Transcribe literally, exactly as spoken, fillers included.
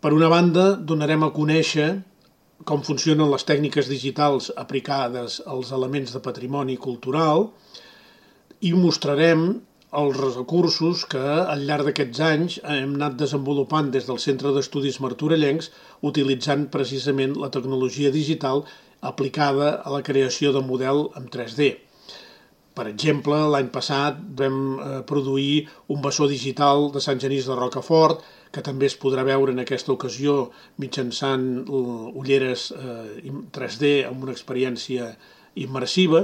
Per una banda, donarem a conèixer com funcionen les tècniques digitals aplicades als elements de patrimoni cultural i mostrarem els recursos que al llarg d'aquests anys hem anat desenvolupant des del Centre d'Estudis Martorellencs utilitzant precisament la tecnologia digital aplicada a la creació de model en tres D. Per exemple, l'any passat vam eh, produir un bessó digital de Sant Genís de Rocafort, que també es podrà veure en aquesta ocasió mitjançant ulleres eh, tres D amb una experiència immersiva.